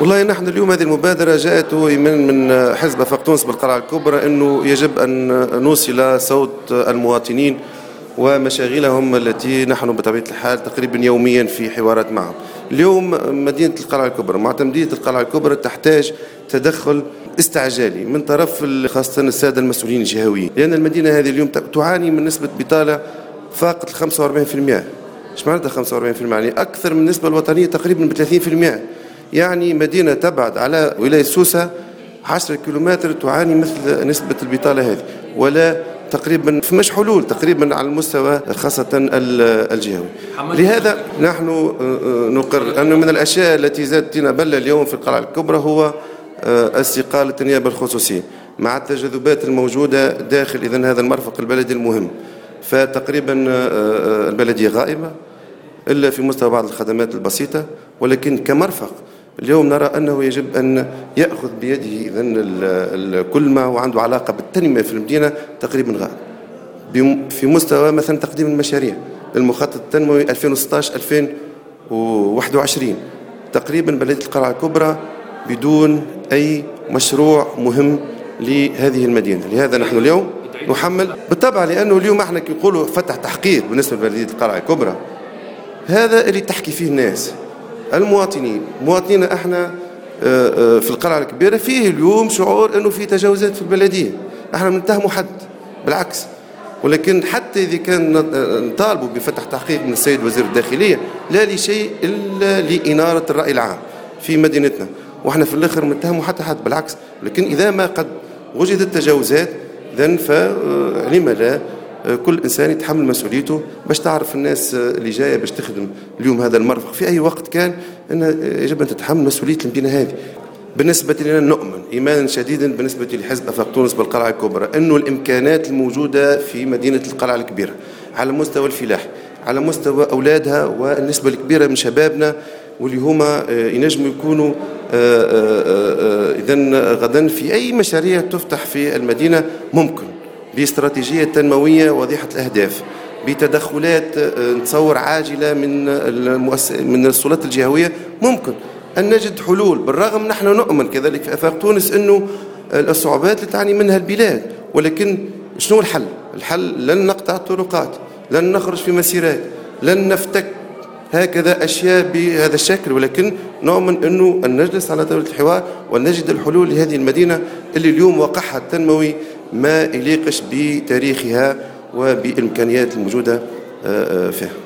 والله نحن اليوم هذه المبادرة جاءت من حزب آفاق تونس بالقلعة الكبرى، أنه يجب أن نوصل صوت المواطنين ومشاغلهم التي نحن بطبيعة الحال تقريبا يوميا في حوارات معهم. اليوم مدينة القلعة الكبرى، معتمدية القلعة الكبرى، تحتاج تدخل استعجالي من طرف خاصة السادة المسؤولين الجهويين، لأن المدينة هذه اليوم تعاني من نسبة بطالة فاقت 45%. ايش معناتها 45%؟ يعني أكثر من النسبة الوطنية تقريبا ب 30%. يعني مدينة تبعد على ولاية سوسة 10 كيلومتر تعاني مثل نسبة البطالة هذه، ولا تقريبا فماش حلول تقريبا على المستوى خاصة الجهوي. لهذا نحن نقر أنه من الأشياء التي زادتنا بلة اليوم في القلعة الكبرى هو استقالة النيابة الخصوصية مع التجاذبات الموجودة داخل إذن هذا المرفق البلدي المهم. فتقريبا البلدية غائبة إلا في مستوى بعض الخدمات البسيطة، ولكن كمرفق اليوم نرى أنه يجب أن يأخذ بيده إذن كل ما هو عنده علاقة بالتنمية في المدينة تقريبا غائب في مستوى مثلا تقديم المشاريع المخطط التنموي 2016-2021. تقريبا بلدية القلعة الكبرى بدون أي مشروع مهم لهذه المدينة. لهذا نحن اليوم نحمل بالطبع، لأنه اليوم احنا كي نقولوا فتح تحقيق بالنسبة لبلدية القلعة الكبرى، هذا اللي تحكي فيه الناس المواطنين. مواطنين احنا في القلعة الكبيرة فيه اليوم شعور انه في تجاوزات في البلدية، احنا ما نتهموا حد بالعكس، ولكن حتى اذا كان نطالبوا بفتح تحقيق من السيد وزير الداخلية لا لشيء الا لإنارة الرأي العام في مدينتنا، واحنا في الاخر ما نتهموا حتى حد بالعكس، لكن اذا ما قد وجدت تجاوزات اذا فلما لا كل انسان يتحمل مسؤوليته باش تعرف الناس اللي جاية باش تخدم اليوم هذا المرفق في اي وقت كان ان يجب ان تتحمل مسؤولية المدينة هذه. بالنسبة لنا نؤمن ايمانا شديدا بالنسبة لحزب افاق تونس بالقلعه الكبرى انه الامكانات الموجودة في مدينة القلعة الكبيرة على مستوى الفلاح، على مستوى اولادها والنسبه الكبيرة من شبابنا واللي هما ينجموا يكونوا اذا غدا في اي مشاريع تفتح في المدينة ممكن باستراتيجية تنموية واضحة الأهداف، بتدخلات نتصور عاجلة من السلطات الجهوية ممكن أن نجد حلول. بالرغم نحن نؤمن كذلك في آفاق تونس أنه الصعوبات اللي تعاني منها البلاد، ولكن شنو الحل؟ الحل لن نقطع الطرقات، لن نخرج في مسيرات، لن نفتك هكذا أشياء بهذا الشكل، ولكن نؤمن أنه أن نجلس على طاولة الحوار ونجد الحلول لهذه المدينة اللي اليوم واقعها التنموي ما يليقش بتاريخها وبالإمكانيات الموجودة فيها.